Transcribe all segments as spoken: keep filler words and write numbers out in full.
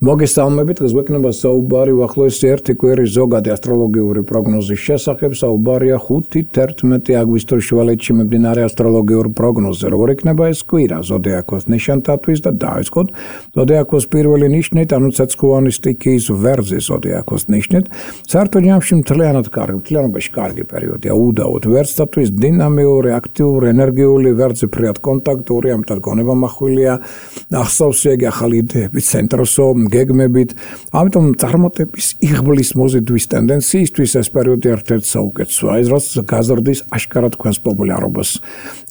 მოგესალმებით, დღეს გვექნება საუბარი უახლოესი ერთი კვირის ზოგადი ასტროლოგიური პროგნოზის შესახებ. საუბარია ხუთი თერთმეტი აგვისტოს შუალედში მიმდინარე ასტროლოგიურ პროგნოზზე. როგორ იქნება ეს კვირა ზოდიაქოს ნიშანთათვის და დაიწყოთ ზოდიაქოს პირველი ნიშნით, ანუ ცეცხლოვანი სტიქიის ვერძი ზოდიაქოს ნიშნით. საერთო ჯამში მთლიანად კარგი, მთლიანობაში კარგი პერიოდია. უდაოდ ვერძთათვის დინამიური, აქტიური, ენერგიული ვერძი ფრიად კონტაქტური, ამიტომ გონება მახვილია, ახსავს იგი ახალი იდეების ცენტროსო გეგმებით, ამიტომ წარმატების იღბლის მოზიდვის ტენდენციისთვის ეს პერიოდი ერთ-ერთი საუკეთესოა, ეს რაც გაზრდის აშკარად თქვენს პოპულარობას.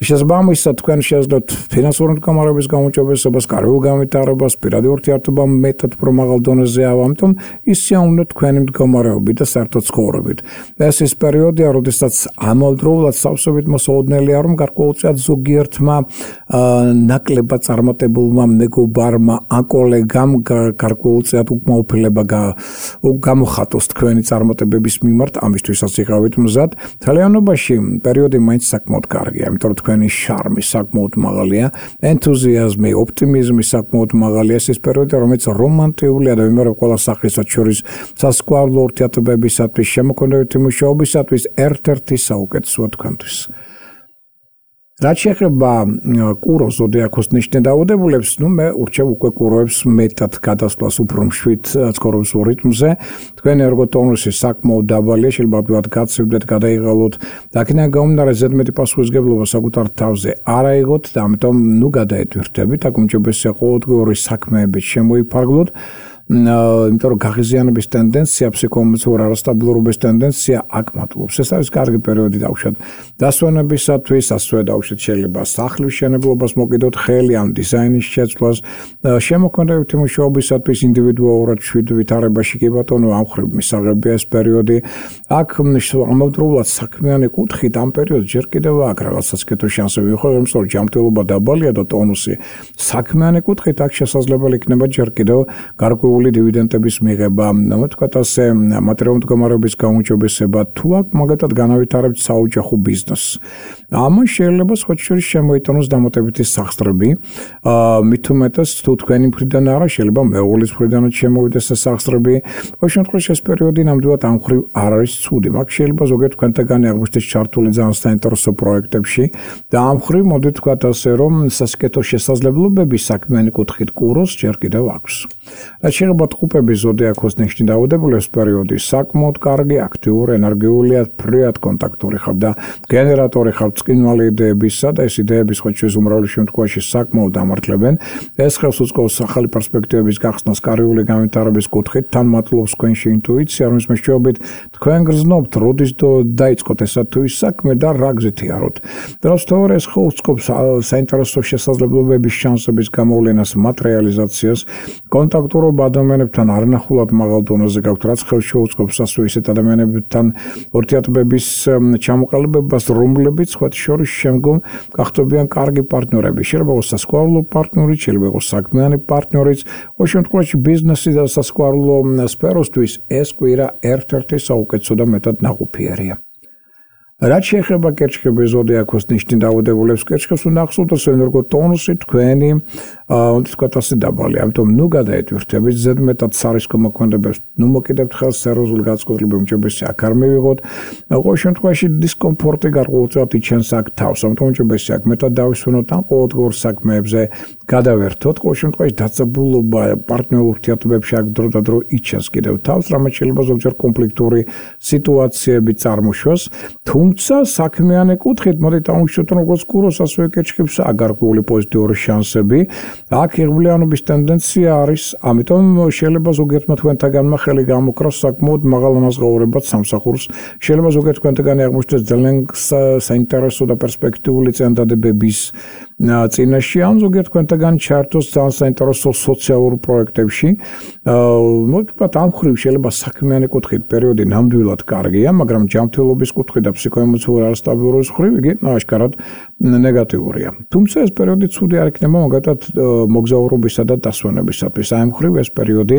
შესაბამისად, თქვენ შეძლოთ ფინანსური მდგომარეობის გაუმჯობესებას, კარგულ განვითარებას, პირადი ურთიერთობა მეტად უფრო მაღალ დონეზეა, ამიტომ ისიაუნეთ თქვენი მდგომარეობით და საერთოდ ცხოვრებით. ეს ის პერიოდია, როდესაც ამავდროულად სავსებით მოსაოდნელია, რომ გარკვეულწილად ზოგიერთმა ნაკლებად წარმატებულმა მეგობარმა, აკოლეგამ გარკვეულწილად უკმაყოფილება გამოხატოს თქვენი წარმატებების მიმართ, ამისთვისაც იყავით მზად. მთლიანობაში პერიოდი მაინც საკმაოდ კარგია, იმიტომ რომ თქვენი შარმი საკმაოდ მაღალია, ენთუზიაზმი, ოპტიმიზმი საკმაოდ მაღალია. ეს ის პერიოდი, რომელიც რომანტიულია და ვიმეორებ ყველა სახისად შორის სასიყვარულო ურთიერთობებისათვის, შემოქმედებითი მუშაობისათვის ერთ-ერთი საუკეთესოა თქვენთვის. რაც შეეხება კუროს ზოდიაქოს ნიშნით დაავადებულებს, ნუ მე ურჩევ უკვე კუროებს მეტად გადასვლას უფრო მშვიდ ცხოვრებულ რიტმზე. თქვენი ერგოტონუსი საკმაოდ დაბალია, შეიძლება ვთქვათ გაცივდეთ, გადაიღალოთ და აქედან გამომდინარე ზედმეტი პასუხისმგებლობა საკუთარ თავზე არ აიღოთ და ამიტომ ნუ გადაეტვირთებით, აქ უმჯობესია ყოველდღიური საქმეებით შემოიფარგლოთ. იმიტომ რომ გაღიზიანების ტენდენცია, ფსიქოემოციურ არასტაბილურობის ტენდენცია აქ მატლობს. ეს არის კარგი პერიოდი დავუშვათ დასვენებისათვის, ასევე დავუშვათ შეიძლება სახლის მშენებლობას მოკიდოთ ხელი ან დიზაინის შეცვლას, შემოქმედებითი მუშაობისათვის ინდივიდუალურად შვიდ ვითარებაში კი ბატონო ამ ხრივ მისაღებია ეს პერიოდი. აქ ამავდროულად საქმიანი კუთხით ამ პერიოდს ჯერ კიდევ აქ რაღაცა სქეთო შანსები მიიღოს, იმიტომ რომ ჯანმრთელობა დაბალია და ტონუსი. საქმიანი კუთხით აქ შესაძლებელი იქნება ჯერ კიდევ გარკვეული დივიდენდების მიღება, თქვათ ასე, მატერიალური მდგომარეობის გაუმჯობესება, თუ აქ მაგათად განავითარებთ საოჯახო ბიზნესს. ამან შეიძლება სხვა შორის შემოიტანოს დამატებითი სახსრები, მით უმეტეს თუ თქვენი მხრიდან არა, შეიძლება მეუღლის მხრიდანაც შემოვიდეს ეს სახსრები. ყოველ შემთხვევაში ეს პერიოდი ნამდვილად ამ ხრივ არ არის ცუდი, მაგ შეიძლება ზოგიერთ თქვენთაგანი აღმოჩნდეს ჩართული ძალიან საინტერესო პროექტებში და ამ ხრივ მოდით თქვათ ასე, რომ სასიკეთო შესაძლებლობები საქმიანი კუთხით კუროს ჯერ კიდევ აქვს. შეიძლება ტყუპების ზოდიაქოს ნიშნით დაავადებულებს პერიოდი საკმაოდ კარგი, აქტიური, ენერგიულია, ფრიად კონტაქტური ხართ და გენერატორი ხართ წკინვალი იდეებისა და ეს იდეები სხვა შორის უმრავლეს შემთხვევაში საკმაოდ დამართლებენ. ეს ხელს უწყობს ახალი პერსპექტივების გახსნას კარიული განვითარების კუთხით, თან მატლობს თქვენში ინტუიცია, რომლის მეშვეობით თქვენ გრძნობთ, როდის დაიწყოთ ესა თუ ის საქმე და რა გზით იაროთ. დროს თორე ეს ხელს უწყობს საინტერესო შესაძლებლობების შანსების გამოვლენას, მატერიალიზაციას, კონტაქტურობა ადამიანებთან არნახულად მაღალ დონეზე გაქვთ, რაც ხელს შეუწყობს ასე ისეთ ადამიანებთან ურთიერთობების ჩამოყალიბებას, რომლებიც სხვა შორის შემდგომ გახდებიან კარგი პარტნიორები. შეიძლება იყოს სასიყვარულო პარტნიორი, შეიძლება იყოს საქმიანი პარტნიორიც. ყოველ შემთხვევაში ბიზნესი და სასიყვარულო სფეროსთვის ეს კვირა ერთ-ერთი საუკეთესო და მეტად ნაყოფიერია. რაც შეეხება კერჩხების ზოდიაქოს ნიშნით დაავადებულებს, კერჩხებს უნდა ახსოვდეთ ენერგოტონუსი თქვენი, უნდა თქვათ ასე დაბალი, ამიტომ ნუ გადაეტვირთებით ზედმეტად სარისკო მოქმედებებს, ნუ მოკიდებთ ხელს სერიოზული განწყობილება უმჯობესია აქ არ მივიღოთ. ყოველ შემთხვევაში დისკომფორტი გარკვეულწილად იჩენს აქ თავს, ამიტომ უმჯობესია აქ მეტად დავისვენოთ ან ყოველდღიურ საქმეებზე გადავერთოთ. ყოველ შემთხვევაში დაძაბულობა პარტნიორულ ურთიერთობებში აქ დრო და დრო იჩენს კიდევ თავს, რამაც შეიძლება ზოგჯერ კონფლიქტური სიტუაციები წარმოშვას. თუმცა საქმიანი კუთხით მოდით ავუშვათ როგორც კუროს ასევე კერჩხებს აგარკვეული პოზიტიური შანსები. აქ იღბლიანობის ტენდენცია არის, ამიტომ შეიძლება ზოგიერთმა თქვენთაგანმა ხელი გამოკრას საკმაოდ მაღალმაზღაურებად სამსახურს. შეიძლება ზოგიერთ თქვენთაგანი აღმოჩნდეს ძალიან საინტერესო და პერსპექტიული წინადადებების წინაშე, ან ზოგიერთ თქვენთაგანი ჩართოს ძალიან საინტერესო სოციალურ პროექტებში. მოდით ამ ხრივ შეიძლება საქმიანი კუთხით პერიოდი ნამდვილად კარგია, მაგრამ ჯანმრთელობის კუთხით და ფსიქოემოციურ არასტაბილურობის ხრივ იგი აშკარად ნეგატიურია. თუმცა ეს პერიოდი ცუდი არ იქნება მაგათად მოგზაურობისა და დასვენებისათვის. აი ამ ხრივ ეს პერიოდი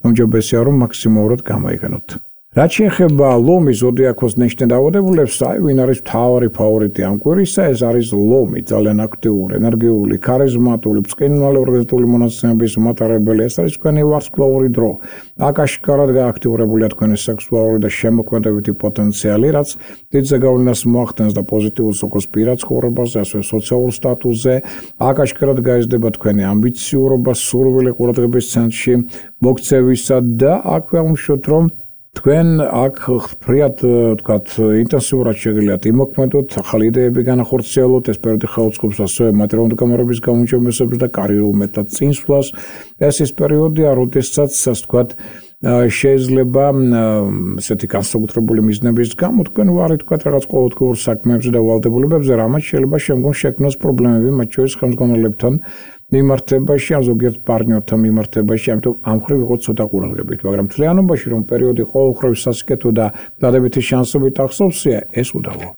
უმჯობესია რომ მაქსიმალურად გამოიყენოთ. რაც შეეხება ლომის ზოდიაქოს ნიშნე დაავადებულებს, აი ვინ არის მთავარი ფავორიტი ამ კვირისა, ეს არის ლომი, ძალიან აქტიური, ენერგიული, ქარიზმატული, ბრწყინვალე ორგანიზმული მონაცემების მატარებელი, ეს არის თქვენი ვარსკვლავური დრო. აქ აშკარად გააქტიურებულია თქვენი სექსუალური და შემოქმედებითი პოტენციალი, რაც დიდ ზეგავლენას მოახდენს და პოზიტიურს როგორც პირად ცხოვრებაზე, ასევე სოციალურ სტატუსზე. აქ აშკარად გაიზრდება თქვენი ამბიციურობა, სურვილი ყურადღების ცენტრში მოქცევისა და აქვე აღვნიშნოთ, რომ თქვენ აქ ფრიად ვთქვათ ინტენსიურად შეგიძლიათ იმოქმედოთ, ახალი იდეები განახორციელოთ, ეს პერიოდი ხელმძღვანელობს ასევე მატერიალური გამარების გაუმჯობესებას და კარიერულ მეტად წინსვლას. ეს ის პერიოდია, როდესაც ასე ვთქვათ შეიძლება ესეთი განსაკუთრებული მიზნების გამო თქვენ ვარით თქვათ რაღაც ყოველდღიურ საქმეებზე და ვალდებულებებზე, რამაც შეიძლება შემდგომ შექმნას პრობლემები, მათ შორის ხელმძღვანელებთან მიმართებაში, ან ზოგიერთ პარტნიორთან მიმართებაში, ამიტომ ამ მხრივ ვიყოთ ცოტა ყურადღებით, მაგრამ მთლიანობაში რომ პერიოდი ყოველმხრივ სასიკეთო და დადებითი შანსებით ახსოვსია, ეს უდავო.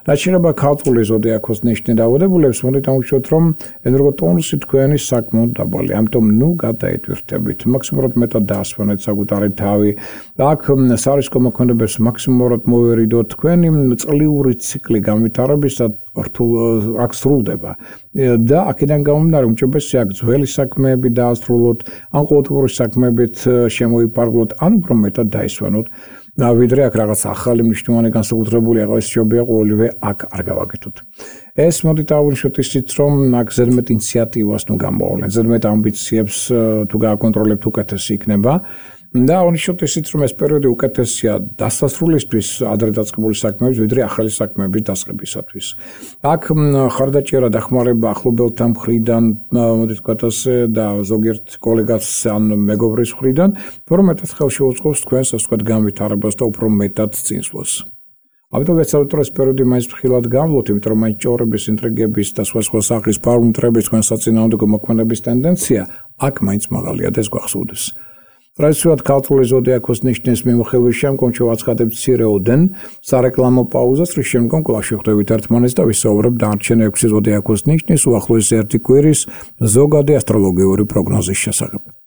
რაც შეეხება ქალწულის ზოდიაქოს ნიშნე დაავადებულებს, მოდით ავუშვოთ, რომ ენერგოტონუსი თქვენი საკმაოდ დაბალი, ამიტომ ნუ გადაიტვირთებით, მაქსიმალურად მეტად დაასვენეთ საკუთარი თავი. აქ სარისკო მოქმედებებს მაქსიმალურად მოვერიდოთ, თქვენი წლიური ციკლი განვითარებისა რთულ აქ სრულდება და აქედან გამომდინარე უმჯობესია აქ ძველი საქმეები დაასრულოთ, ან ყოველდღიური საქმეებით შემოიფარგლოთ, ან უფრო მეტად დაისვენოთ. ვიდრე აქ რაღაც ახალი მნიშვნელოვანი განსაკუთრებული აღარ შეობია ყოველივე აქ არ გავაკეთოთ. ეს მოდით ავუშვოთ ისიც, რომ აქ ზედმეტ ინიციატივას ნუ გამოავლენ, ზედმეტ ამბიციებს თუ გააკონტროლებთ უკეთესი იქნება. და აღნიშნოთ ისიც, რომ ეს პერიოდი უკეთესია დასასრულისთვის ადრე დაწყებული საქმეების, ვიდრე ახალი საქმეების დასყიდვისათვის. აქ ხარდაჭერა დახმარება ახლობელთა მხრიდან, მოდით ვთქვათ ასე, და ზოგიერთ კოლეგას ან მეგობრის მხრიდან, უფრო მეტად ხელში უწყობს თქვენს, ასე ვთქვათ, განვითარებას და უფრო მეტად წინსვლას. ამიტომ ვეცადოთ, რომ ეს პერიოდი მაინც ფრთხილად გამვლოთ, იმიტომ რომ მაინც ჭორების, ინტრიგების და სხვა სხვა სახის პარამეტრების თქვენ საწინააღმდეგო მოქმედების ტენდენცია აქ მაინც მაღალია და ეს გვახსოვდეს. ტრადიციულად ქალწულის ზოდიაქოს ნიშნის მიმოხილვის შემდგომ შევაცხადებთ მცირეოდენ სარეკლამო პაუზას, რის შემდგომ კვლავ შევხვდებით ერთმანეთს და ვისაუბრებთ დანარჩენ ექვსი ზოდიაქოს ნიშნის უახლოესი ერთი კვირის ზოგადი ასტროლოგიური პროგნოზის შესახებ.